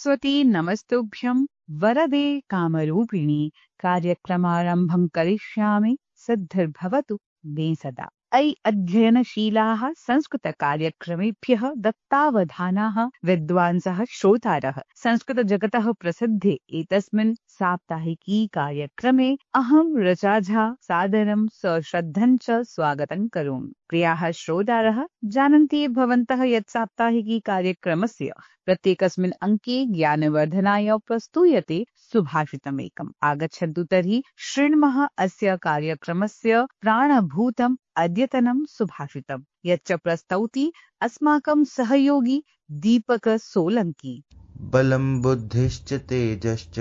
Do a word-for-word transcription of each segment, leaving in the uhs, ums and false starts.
सरस्वती नमस्तुभ्यं वरदे कामरूपिणी कार्यक्रमारम्भं करिष्यामि सिद्धिर्भवतु मे सदा। अयि अध्ययनशीलाः संस्कृतकार्यक्रमेभ्यः दत्तावधानाः विद्वांसः श्रोतारः संस्कृतजगतः प्रसिद्धे एतस्मिन् साप्ताहिकी कार्यक्रमे अहं ऋचा झा सादरं सश्रद्धं च स्वागतं करोमि। प्रियाः श्रोतारः, जानन्ति भवन्तः यत् साप्ताहिकी कार्यक्रमस्य प्रत्येकस्मिन् अङ्के ज्ञानवर्धनाय प्रस्तूयते सुभाषितमेकम्। आगच्छन्तु तर्हि शृण्मः अस्य कार्यक्रमस्य प्राणभूतम् अद्यतनं सुभाषितम्, यच्च प्रस्तौति अस्माकं सहयोगी दीपक सोलंकी। बलं बुद्धिश्च तेजश्च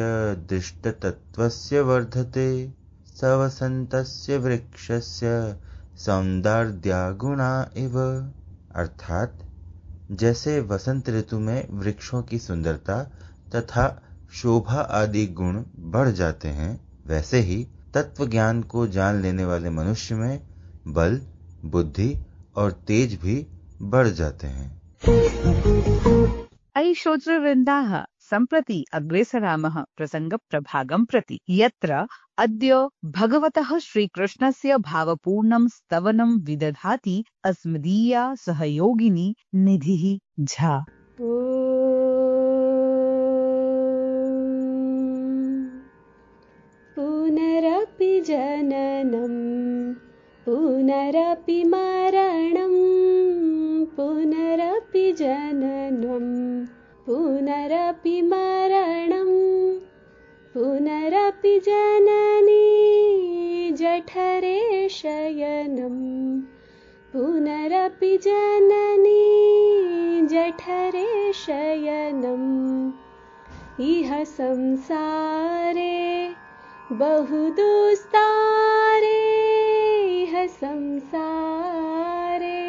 दृष्टतत्त्वस्य वर्धते सवसन्तस्य वृक्षस्य सौन्दर्या गुणा इव। अर्थात जैसे वसंत ऋतु में वृक्षों की सुंदरता तथा शोभा आदि गुण बढ़ जाते हैं, वैसे ही तत्व ज्ञान को जान लेने वाले मनुष्य में बल, बुद्धि और तेज भी बढ़ जाते हैं। अयि श्रोतृवृन्दाः, सम्प्रति अग्रेसरामः प्रसङ्गप्रभागं प्रति, यत्र अद्य भगवतः श्रीकृष्णस्य भावपूर्णं स्तवनं विदधाति अस्मदीया सहयोगिनी निधिः झा। पुनरपि जननं पुनरपि मरणं पुनरपि जननं पुनरपि मरणं पुनरपि जननी जठरे शयनं पुनरपि जननी जठरे शयनम् इह संसारे बहुदुस्तारे इह संसारे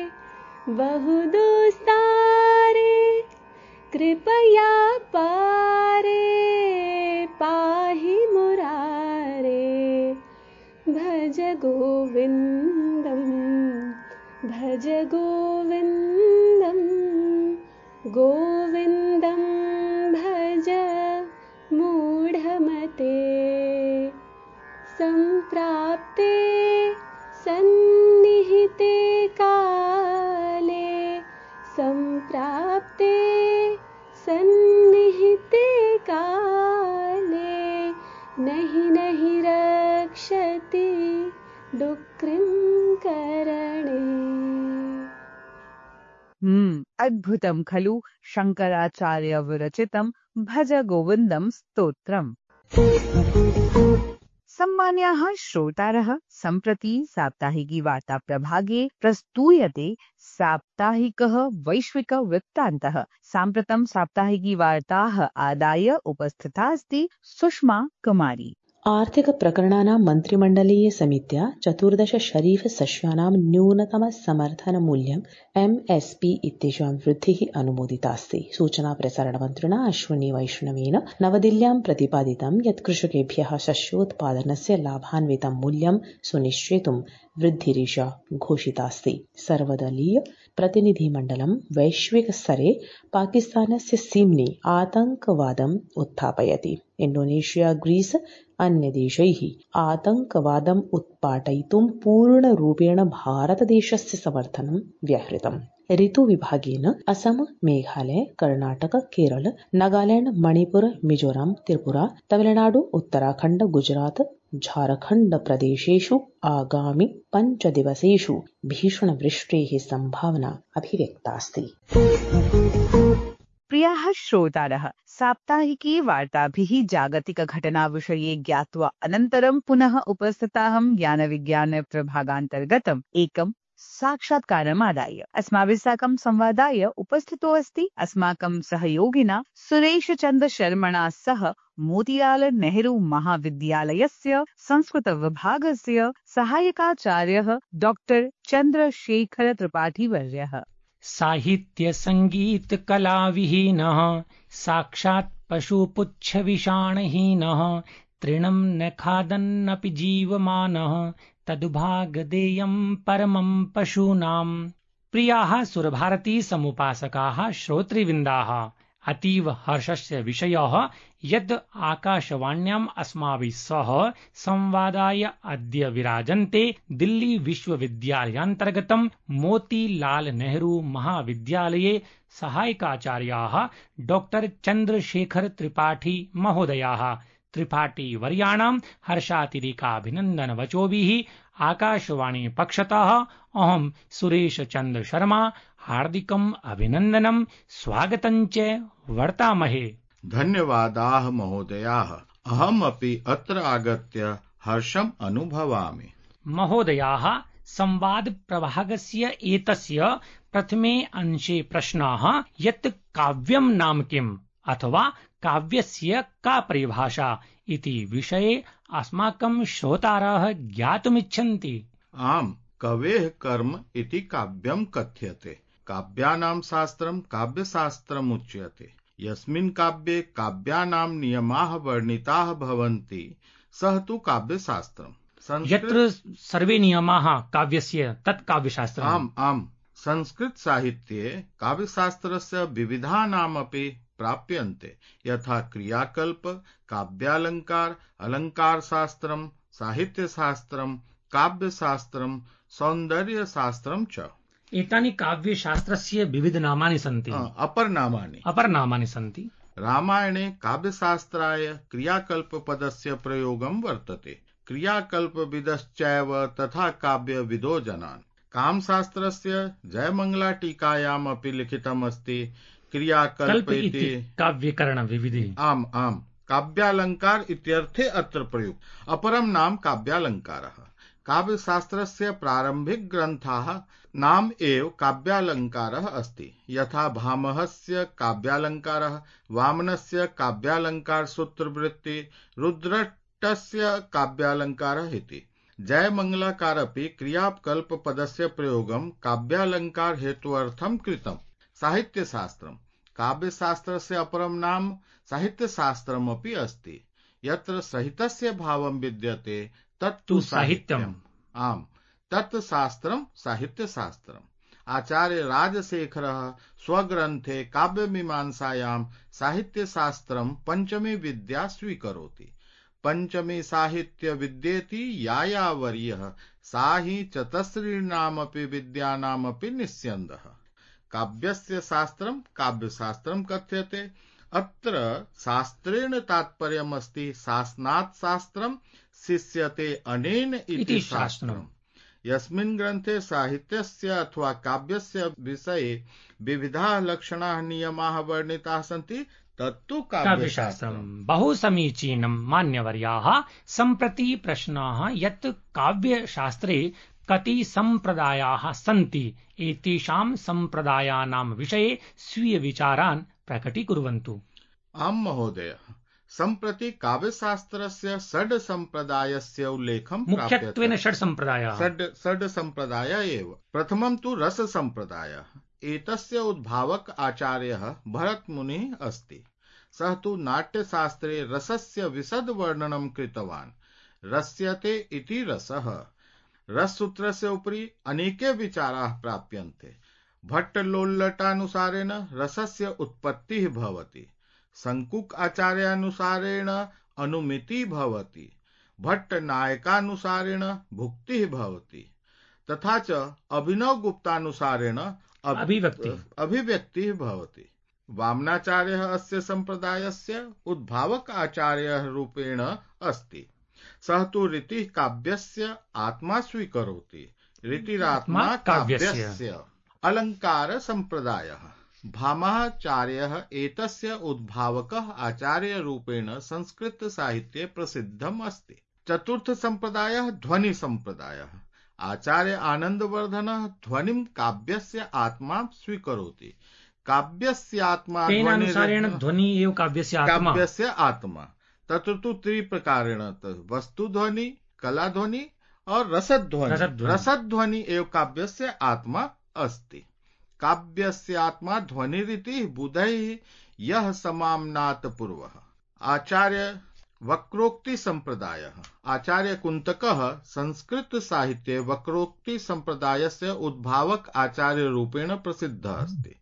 बहुदुस्तारे कृपया पारे पाहि मुरारे भज गोविन्दं भज गोविन्दं गोविन्दं भज मूढमते सम्प्राप्ते सन्निहिते काले सम्प्राप्ते सन्निहिते काले नहि नहि रक्षति डुक्रिं करणे। हम्म अद्भुतं खलु शंकराचार्य विरचितं भज गोविन्दं स्तोत्रम्। सम्मान्याः श्रोतारः, सम्प्रति साप्ताहिकी वार्ता प्रभागे प्रस्तूयते साप्ताहिकः वैश्विक वृत्तान्तः। साम्प्रतं साप्ताहिकी वार्ताः आदाय उपस्थिता अस्ति सुषमा कुमारी। आर्थिक प्रकरणानां मन्त्रिमण्डलीय समित्या चतुर्दश शरीफ सस्यानां न्यूनतम समर्थन मूल्यं एम एस पी इत्येषां वृद्धिः अनुमोदितास्ति। सूचना प्रसारण मन्त्रिणा अश्विनी वैष्णवेन नवदिल्ल्यां प्रतिपादितं यत् कृषकेभ्यः शस्योत्पादनस्य लाभान्वितं मूल्यं सुनिश्चेतुं वृद्धिरेषा घोषितास्ति। सर्वदलीय प्रतिनिधिमण्डलं वैश्विक स्तरे पाकिस्तानस्य सीम्नि आतङ्कवादम् उत्थापयति। इण्डोनेशिया, ग्रीस अन्यदेशैः आतङ्कवादम् उत्पाटयितुं पूर्णरूपेण भारतदेशस्य समर्थनं व्याहृतम्। ऋतुविभागेन असम, मेघालय, कर्णाटक, केरल, नागालैंड, मणिपुर, मिजोरम, त्रिपुरा, तमिलनाडु, उत्तराखण्ड, गुजरात, झारखण्ड प्रदेशेषु आगामि पञ्चदिवसेषु भीषणवृष्टेः सम्भावना अभिव्यक्तास्ति। प्रियाः श्रोतारः, साप्ताहिकी वार्ताभिः जागतिकघटनाविषये ज्ञात्वा अनन्तरं पुनः उपस्थिताहं ज्ञानविज्ञान प्रभागान्तर्गतम् एकं साक्षात्कारमादाय अस्माभिः साकं संवादाय उपस्थितो अस्ति अस्माकं सहयोगिना सुरेशचन्द्र शर्मणा सह मोतीलाल नेहरू महाविद्यालयस्य संस्कृत विभागस्य सहायकाचार्यः डॉक्टर चन्द्रशेखर त्रिपाठी वर्यः। साहित्य संगीत कला विहीनः साक्षात् पशुपुच्छविषाणहीनः तृणं न खादन्नपि जीवमानः तदुभागदेयं परमं पशूनाम्। प्रियाः सुरभारती समुपासकाः श्रोतृवृन्दाः, अतीव हर्षस्य विषयः यद् आकाशवाण्याम् अस्माभिः सह संवादाय अद्य विराजन्ते दिल्ली विश्वविद्यालयान्तर्गतं मोतीलाल नेहरू महाविद्यालये सहायकाचार्याः डॉक्टर चन्द्रशेखर त्रिपाठी महोदयाः त्रिपाठी वर्याणां हर्षातिरेकाभिनन्दनवचोभिः आकाशवाणी पक्षतः अहं सुरेश चन्द्र शर्मा हार्दिकम् अभिनन्दनं स्वागतं च वर्तामहे। धन्यवादाः महोदयाः। अहमपि अत्र आगत्य हर्षम् अनुभवामि। महोदयाः, संवाद प्रभागस्य एतस्य प्रथमे अंशे प्रश्नाः यत् काव्यं नाम किम् अथवा काव्यस्य का परिभाषा इति विषये अस्माकं श्रोतारः ज्ञातुमिच्छन्ति। आम्, कवेः कर्म इति काव्यं कथ्यते। काव्यानां शास्त्रं काव्यशास्त्रम् उच्यते। यस्मिन् काव्ये काव्यानां नियमाः वर्णिताः भवन्ति सः तु काव्यशास्त्रम्। यत्र सर्वे नियमाः काव्यस्य तत् काव्यशास्त्रम्। आम् आम्। संस्कृत साहित्ये काव्यशास्त्रस्य विविधानामपि प्राप्यन्ते, यथा क्रियाकल्प, काव्यालंकार, अलंकारशास्त्रम्, साहित्यशास्त्रम्, काव्यशास्त्रम्, सौन्दर्यशास्त्रम् च। एतानि काव्यशास्त्रस्य विविधनामानि सन्ति। अपरनामानि अपरनामानि सन्ति। रामायणे काव्यशास्त्राय क्रियाकल्पपदस्य प्रयोगं वर्तते। क्रियाकल्पविदश्चैव तथा काव्यविदो जनान्। कामशास्त्रस्य जयमंगलाटीकायामपि लिखितमस्ति क्रियाकल्प इति काव्यकरणविविधि। आम् आम्। काव्यालंकार इत्यर्थे अत्र प्रयुक्त। अपरं नाम काव्यालंकारः। काव्यशास्त्रस्य प्रारंभिक ग्रन्थाः नाम एव काव्यालंकारः अस्ति। यथा भामहस्य काव्यालंकारः, वामनस्य काव्यालंकार सूत्रवृत्ति, रुद्रटस्य काव्यालंकारः इति। जयमंगलाकारपि क्रियाकल्पपदस्य प्रयोगं काव्यालंकार हेतुअर्थं कृतम्। साहित्यशास्त्रम्। काव्यशास्त्रस्य अपरं नाम साहित्यशास्त्रमपि अस्ति। यत्र सहितस्य भावं विद्यते तत्तु साहित्यम्। आम्, तत् शास्त्रं साहित्यशास्त्रम्। आचार्य राजशेखरः स्वग्रन्थे काव्यमीमांसायां साहित्यशास्त्रं पञ्चमी विद्या स्वीकरोति। पञ्चमी साहित्य विद्येति यायावर्यः सा हि चतस्रीणामपि विद्यानामपि निस्यन्दः। काव्यस्य शास्त्रं काव्यशास्त्रं कथ्यते। अत्र शास्त्रेण तात्पर्यमस्ति शासनात् शास्त्रं शिष्यते अनेन इति शास्त्रम्। यस्मिन् ग्रन्थे साहित्यस्य अथवा काव्यस्य विषये विविधाः लक्षणाः नियमाः वर्णिताः सन्ति तत्तु काव्यशास्त्रम्। बहु समीचीनं मान्यवर्याः। सम्प्रति प्रश्नाः यत् काव्यशास्त्रे कति सम्प्रदायाः सन्ति, एतेषां सम्प्रदायानां विषये स्वीय विचारान् प्रकटीकुर्वन्तु। आम् महोदय, सम्प्रति काव्यशास्त्रस्य षड् सम्प्रदायस्य उल्लेखं प्राप्यते। मुख्यत्वेन षड् सम्प्रदायाः। षड् षड् सम्प्रदायाः एव। प्रथमं तु रस सम्प्रदायः। एतस्य उद्भावक आचार्यः भरतमुनिः अस्ति। सः तु नाट्यशास्त्रे रसस्य विशद वर्णनं कृतवान्। रस्यते इति रसः। रससूत्रस्य उपरि अनेके विचाराः प्राप्यन्ते। भट्टलोल्लटानुसारेण रसस्य उत्पत्तिः भवति। शङ्कुक आचार्यानुसारेण अनुमितिः भवति। भट्टनायकानुसारेण भुक्तिः भवति। तथा च अभिनवगुप्तानुसारेण अभिव्यक्तिः अभिव्यक्तिः भवति। वामनाचार्यः अस्य सम्प्रदायस्य उद्भावक आचार्यः रूपेण अस्ति। सः तु रीतिः काव्यस्य आत्मा स्वीकरोति। रीतिरात्मा काव्यस्य। अलङ्कार सम्प्रदायः। भामाचार्यः एतस्य उद्भावकः आचार्यरूपेण संस्कृत साहित्ये प्रसिद्धम् अस्ति। चतुर्थ सम्प्रदायः ध्वनि सम्प्रदायः। आचार्य आनन्दवर्धनः ध्वनिं काव्यस्य आत्मा स्वीकरोति। काव्यस्य आत्मा तेनानुसारेण ध्वनि एव काव्यस्य आत्मा। काव्यस्य आत्मा। तत्र तु त्रिप्रकारेण वस्तुध्वनि, कलाध्वनि और रसध्वनि। रसध्वनि एव काव्यस्य आत्मा अस्ति। काव्यस्य आत्मा ध्वनिरिति बुधैः यः समाम्नात् पूर्वः। आचार्य वक्रोक्ति संप्रदायः। आचार्य कुन्तकः संस्कृत साहित्ये वक्रोक्ति संप्रदायस्य उद्भावक आचार्य रूपेण प्रसिद्धः अस्ति।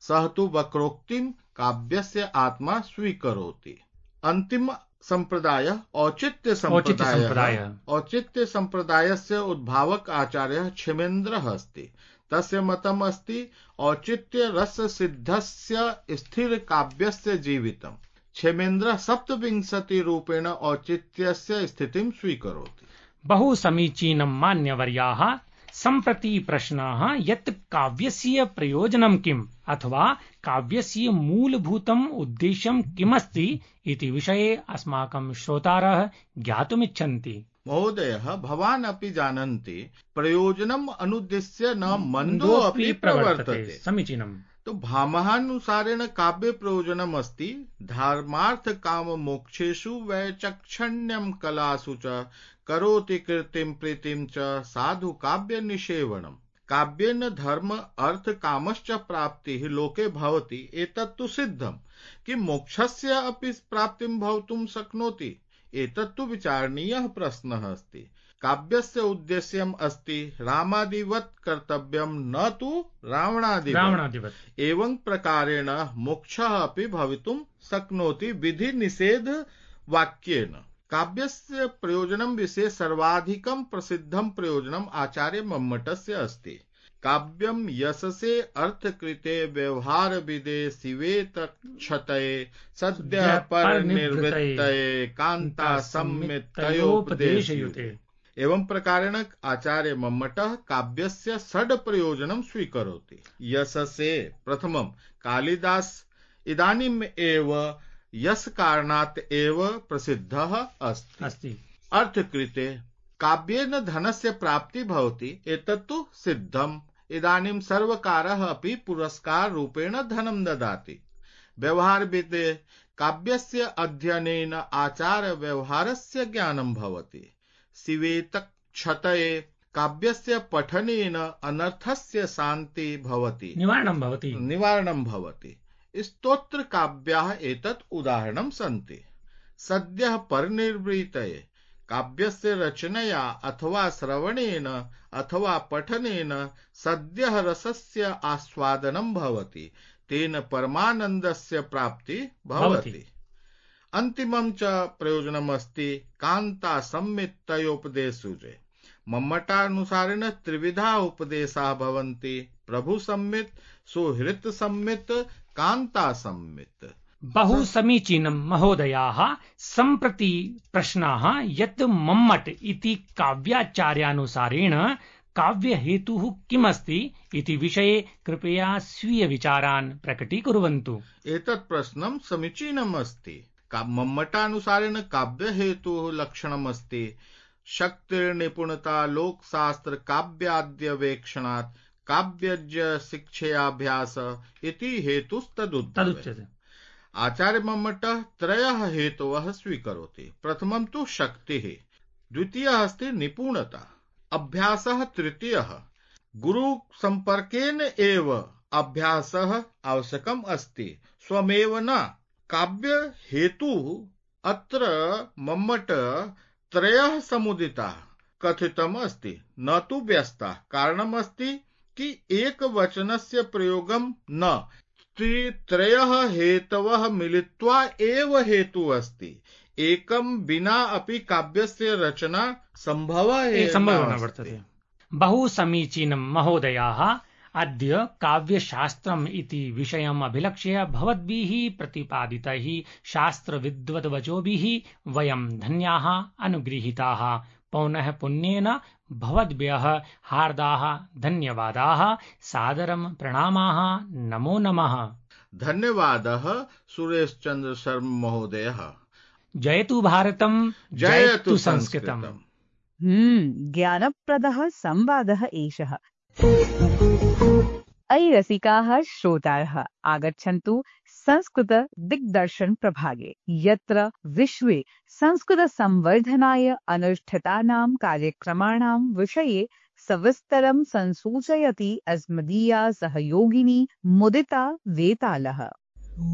सः तु वक्रोक्तिं काव्यस्य आत्मा स्वीकरोति। अन्तिम संप्रदाय औचित्य औचित्य संप्रदाय सम्प्रदायः। औचित्य संप्रदायस्य उद्भावक आचार्यः क्षेमेन्द्रः अस्ति। तस्य मतम् अस्ति औचित्य रस सिद्धस्य स्थिर काव्यस्य जीवितम्। क्षेमेन्द्रः सप्तविंशति रूपेण औचित्यस्य स्थितिं स्वीकरोति। बहु समीचीनं मान्यवर्याः। सम्प्रति प्रश्नः यत् काव्यस्य प्रयोजनं किम् अथवा काव्यस्य मूलभूतम् उद्देश्यं किमस्ति इति विषये अस्माकं श्रोतारः ज्ञातुमिच्छन्ति। महोदयः, भवान् अपि जानन्ति प्रयोजनम् अनुद्दिश्य न मन्दो अपि प्रवर्तते। समीचीनम्। तो भामहानुसारेण काव्य प्रयोजनम् अस्ति धर्मार्थ काम मोक्षेषु वैचक्षण्यं कलासु च करोति कीर्तिं प्रीतिं च साधु काव्य निषेवणम्। काव्येन धर्म अर्थ कामश्च प्राप्तिः लोके भवति। एतत्तु सिद्धम् कि मोक्षस्य अपि प्राप्तिं भवितुं शक्नोति। एतत्तु विचारणीयः प्रश्नः अस्ति। काव्यस्य उद्देश्यम् अस्ति रामादिवत् कर्तव्यं न तु रावणादिवत्। रावणादिवत्। एवं प्रकारेण मोक्षः अपि भवितुं शक्नोति विधि निषेध वाक्येन। काव्यस्य प्रयोजनं विषये सर्वाधिकं प्रसिद्धं प्रयोजनम् आचार्य मम्मटस्य अस्ति। काव्यं यशसे अर्थकृते व्यवहार विदे शिवेत क्षतये सद्यः परिनिर्वृत्तये कान्ता सम्मितयोपदेशयुते। एवं प्रकारेण आचार्य मम्मटः काव्यस्य षड् प्रयोजनं स्वीकरोति। यशसे प्रथमं कालिदास इदानीम् एव यश कारणात् एव प्रसिद्धः अस्ति। अस्ति। अर्थकृते काव्येन धनस्य प्राप्ति भवति। एतत्तु सिद्धम्। इदानीं सर्वकारः अपि पुरस्कार रूपेण धनं ददाति। व्यवहारविदे काव्यस्य अध्ययनेन आचार व्यवहारस्य ज्ञानं भवति। शिवेत क्षतये काव्यस्य पठनेन अनर्थस्य शान्ति भवति, निवारणं भवति निवारणं भवति। स्तोत्र काव्याः एतत् उदाहरणं सन्ति। सद्यः परिनिर्वृत्तये काव्यस्य रचनया अथवा श्रवणेन अथवा पठनेन सद्यः रसस्य आस्वादनं भवति। तेन परमानन्दस्य प्राप्ति भवति। अन्तिमं च प्रयोजनमस्ति कान्ता सम्मितयोपदेशुजे। मम्मटानुसारेण त्रिविधा उपदेशाः भवन्ति। प्रभु सम्मित, सुहृत् सम्मित, कान्ता सम्मित। बहु समीचीनं महोदयाः। सम्प्रति प्रश्नः यत् मम्मट इति काव्याचार्यानुसारेण काव्यहेतुः किमस्ति इति विषये कृपया स्वीय विचारान् प्रकटीकुर्वन्तु। एतत् प्रश्नं समीचीनम् अस्ति। मम्मटानुसारेण काव्यहेतुः लक्षणमस्ति शक्तिर्निपुणता लोकशास्त्र काव्याद्यवेक्षणात् काव्यज्ञ शिक्षयाभ्यास इति हेतुस्तदुच्यते। आचार्य मम्मटः त्रयः हेतवः स्वीकरोति। प्रथमं तु शक्तिः, द्वितीयः अस्ति निपुणता, अभ्यासः तृतीयः। गुरु संपर्केन एव अभ्यासः आवश्यकम् अस्ति, स्वमेव न। काव्य हेतुः अत्र मम्मट त्रयः समुदिताः कथितम् अस्ति, न तु व्यस्ताः। कारणम् अस्ति कि एकवचनस्य प्रयोगं न, त्रयः हेतवः मिलित्वा एव हेतुः अस्ति। एकं विना अपि काव्यस्य रचना सम्भवः न वर्तते। बहु समीचीनं महोदयाः। अद्य काव्यशास्त्रम् इति विषयम् अभिलक्ष्य भवद्भिः प्रतिपादितैः शास्त्रविद्वद्वचोभिः वयं धन्याः अनुगृहीताः। पौनः पुण्येन भवद्भ्यः हार्दाः धन्यवादाः, सादरं प्रणामाः, नमो नमः। धन्यवादः सुरेशचन्द्र शर्मा महोदयः। जयतु भारतम्, जयतु संस्कृतम्। हम्म ज्ञानप्रदः संवादः एषः। अयि रसिकाः श्रोतारः, आगच्छन्तु संस्कृत दिग्दर्शन प्रभागे, यत्र विश्वे संस्कृत संवर्धनाय अनुष्ठितानां कार्यक्रमाणां विषये सविस्तरं संसूचयति अस्मदीया सहयोगिनी मुदिता वेतालः।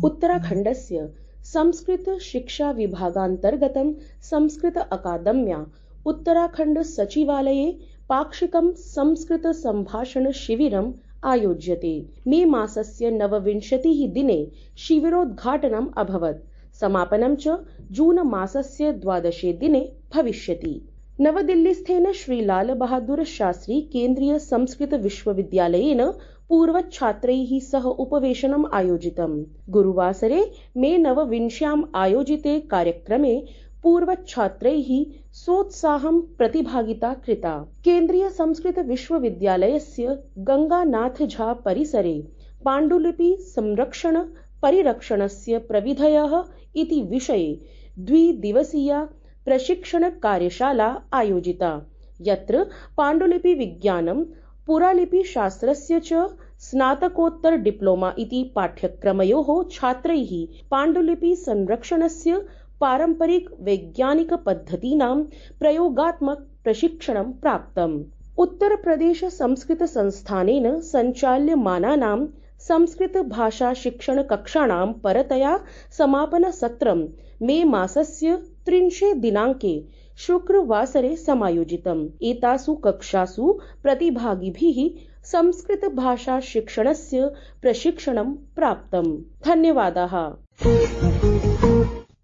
उत्तराखण्डस्य संस्कृत शिक्षा विभागान्तर्गतं संस्कृत अकादम्या उत्तराखण्ड सचिवालये पाक्षिकं संस्कृत सम्भाषण शिबिरम् आयोज्यते। मे मासस्य नवविंशतिः दिने शिबिरोद्घाटनम् अभवत्। समापनं च जून मासस्य द्वादशे दिने भविष्यति। नवदिल्लीस्थेन श्री लाल बहादुर शास्त्री केन्द्रीय संस्कृत विश्वविद्यालयेन पूर्वछात्रैः सह उपवेशनम् आयोजितम्। गुरुवासरे मे नवविंश्याम् आयोजिते कार्यक्रमे पूर्वछात्रैः सोत्साहं प्रतिभागिता कृता। केन्द्रीय संस्कृत विश्वविद्यालयस्य गंगानाथ झा परिसरे पाण्डुलिपि संरक्षण परिरक्षणस्य प्रविधयः इति विषये द्विदिवसीया प्रशिक्षण कार्यशाला आयोजिता, यत्र पाण्डुलिपि विज्ञानं पुरालिपि शास्त्रस्य च स्नातकोत्तर डिप्लोमा इति पाठ्यक्रमयोः छात्रैः पाण्डुलिपि संरक्षणस्य पारम्परिक वैज्ञानिक पद्धतीनां प्रयोगात्मक प्रशिक्षणं प्राप्तम्। उत्तर प्रदेश संस्कृत संस्थानेन सञ्चाल्यमानानां संस्कृत भाषा शिक्षण कक्षाणां परतया समापन सत्रं मे मासस्य त्रिंशे दिनाङ्के शुक्रवासरे समायोजितम्। एतासु कक्षासु प्रतिभागिभिः संस्कृत भाषा शिक्षणस्य प्रशिक्षणं प्राप्तम्। धन्यवादाः।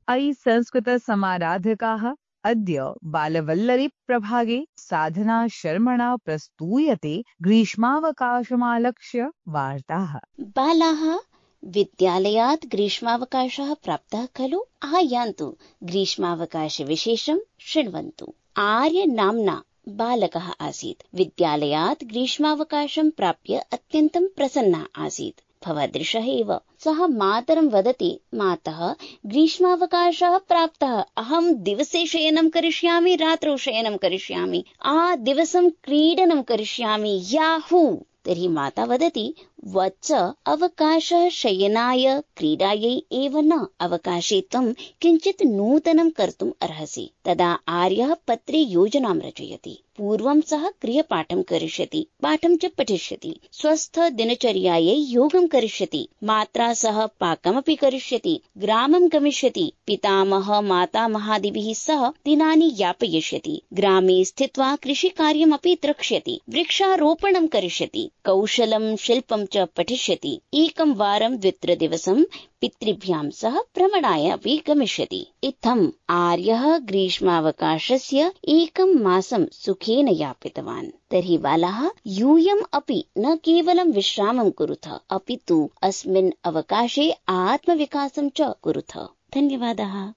अयि संस्कृत समाराधकाः अद्य बालवल्लरी प्रभागे साधना शर्मणा प्रस्तूयते ग्रीष्मावकाशमालक्ष्य वार्ताः। बालाः विद्यालयात् ग्रीष्मावकाशः प्राप्तः खलु? आयान्तु ग्रीष्मावकाशविशेषं शृण्वन्तु। आर्य नाम्ना बालकः आसीत्। विद्यालयात् ग्रीष्मावकाशं प्राप्य अत्यन्तं प्रसन्नः आसीत्। भवदृशः एव सः मातरं वदति, मातः ग्रीष्मावकाशः प्राप्तः, अहं दिवसे शयनं करिष्यामि, रात्रौ शयनं करिष्यामि, आ दिवसं क्रीडनं करिष्यामि, याहू। तर्हि माता वदति, वत्स अवकाशः शयनाय क्रीडायै एव न, अवकाशे त्वं किञ्चित् नूतनं कर्तुम् अर्हसि। तदा आर्यः पत्रे योजनां रचयति। पूर्वं सः गृहपाठं करिष्यति, पाठं च पठिष्यति, स्वस्थ दिनचर्यायै योगं करिष्यति, मात्रा सह पाकमपि करिष्यति, ग्रामं गमिष्यति, पितामह मातामहादिभिः सह दिनानि यापयिष्यति, ग्रामे स्थित्वा कृषिकार्यमपि द्रक्ष्यति, वृक्षारोपणं करिष्यति, कौशलं शिल्पं च पठिष्यति, एकं वारं द्वित्रिदिवसं पितृभ्यां सह भ्रमणाय अपि गमिष्यति। इत्थम् आर्यः ग्रीष्मावकाशस्य एकं मासं सुखेन यापितवान्। तर्हि बालाः यूयम् अपि न केवलं विश्रामं कुरुथ, अपि तु अस्मिन् अवकाशे आत्मविकासं च कुरुथ। धन्यवादाः।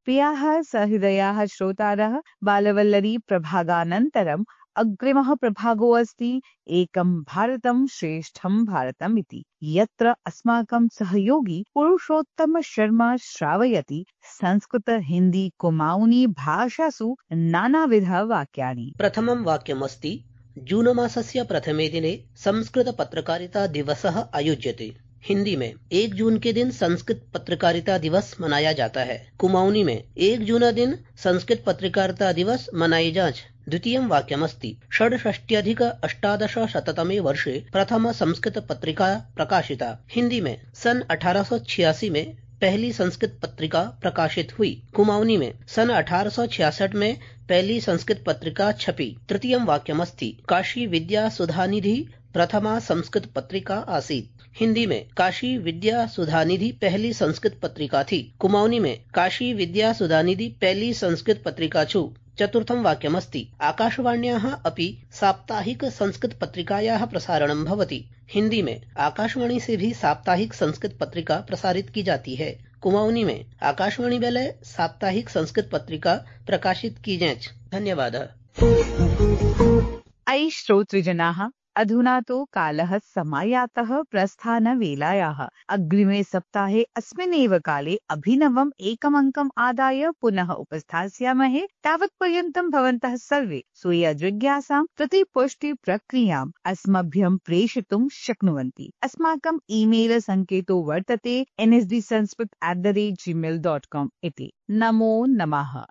प्रियाः सहृदयाः श्रोतारः, बालवल्लरी प्रभागानन्तरम् अग्रिमः प्रभागो अस्ति एकं भारतं श्रेष्ठं भारतम् इति, यत्र अस्माकं सहयोगी पुरुषोत्तम शर्मा श्रावयति संस्कृत हिंदी कुमाऊनी भाषासु नानाविध वाक्यानि। प्रथमं वाक्यमस्ति, जून मासस्य प्रथमे दिने संस्कृत पत्रकारिता दिवसः आयोज्यते। हिंदी में एक जून के दिन संस्कृत पत्रकारिता दिवस मनाया जाता है। कुमाऊनी में एक जून दिन संस्कृत पत्रकारिता दिवस मनाई जाच। द्वितीयं वाक्यमस्ति, षड्षष्ट्यधिक अष्टादशशततमे वर्षे प्रथम संस्कृत पत्रिका प्रकाशिता। हिंदी में सन अठारह सौ छियासी में पहली संस्कृत पत्रिका प्रकाशित हुई। कुमाऊनी में सन अठारह सौ छियासठ में पहली संस्कृत पत्रिका छपी। तृतीयं वाक्यमस्ति, काशी विद्या सुधानिधि प्रथमा संस्कृत पत्रिका आसीत्। हिंदी में काशी विद्या सुधानिधि पहली संस्कृत पत्रिका थी। कुमाऊनी में काशी विद्या सुधानिधि पहली संस्कृत पत्रिका छु। चतुर्थं वाक्यमस्ति, आकाशवाण्याः अपि साप्ताहिक संस्कृत पत्रिकायाः प्रसारणं भवति। हिंदी में आकाशवाणी से भी साप्ताहिक संस्कृत पत्रिका प्रसारित की जाती है। कुमाऊनी में आकाशवाणी वेले साप्ताहिक संस्कृत पत्रिका प्रकाशित की जाएच। धन्यवादः। अयि श्रोतृजनाः, अधुना तु कालः समायातः प्रस्थानवेलायाः। अग्रिमे सप्ताहे अस्मिन्नेव काले अभिनवम् एकमङ्कम् आदाय पुनः उपस्थास्यामहे। तावत्पर्यन्तं भवन्तः सर्वे स्वीय जिज्ञासां प्रतिपुष्टि प्रक्रियाम् अस्मभ्यं प्रेषितुं शक्नुवन्ति। अस्माकम् ईमेल सङ्केतो वर्तते N S D Sanskrit at the rate Gmail dot com इति। नमो नमः।